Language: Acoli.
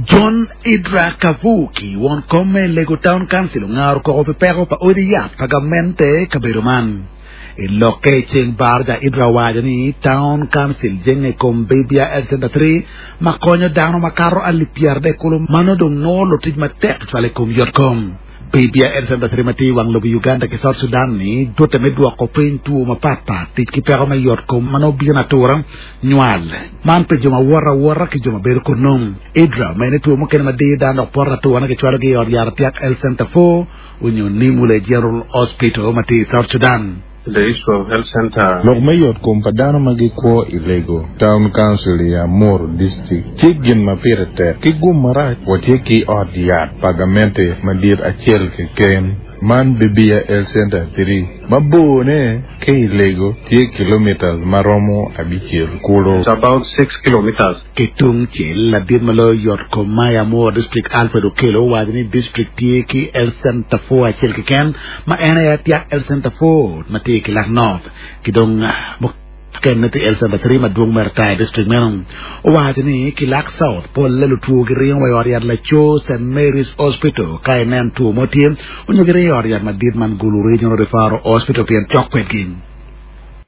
John Idra Kavuki, won kom me Lego Town Council ongaro koko pi peko pa odi yat pa gamente i kabedo man. I lokke i ceng baraja, Idra owaco ni Town Council jenge i kom Bibia Health Center 3 ma konyo dano makato alip 30 kulu ma nongo dong nongo lutic matek tutwal i kom yotkom. Bibia Health Center 3 ma tye i wang lobo Uganda ki South Sudan ni tute me dwoko piny two mapat pat, tic ki peko me yotkom ma nongo bino atura, nywal. Man pi jo ma woto awota ki jo ma bedo kunnu. Idra omedde ni two mukene ma diyo dano dok poto atura kicwalogi i ot yat Atiak Health Center 4 onyo Nimule General Hospital ma tye i South Sudan. The issue of health center. Lok me yot kom pa dano ma gikwo i Lego Town Council i Amuru District tye gin ma pire tek. Ki gum marac, watye ki ot yat pa gamente madit acel keken, man Bibia Health Center 3, ma borne ki i Lego tye kilomitas ma romo abicel kulu. It's about 6 kilometers. Ki tungcel, ladit ma loyo yot kom ma i Amuru District Alfred Okello owaco ni district tye ki Health Center 4 acel keken ma en aye Atiak Health Center 4 ma tye i Kilak North ki dong mukene tye Health Center 3 madwong mere ata i district meno. Owaco ni Kilak South polle lutwo giringo wa i ot yat Laco St. Mary's Hospital ka inen two mo tye onyo giringo i ot yat madit man Gulu Regional Referral Hospital pien cok kwedgi.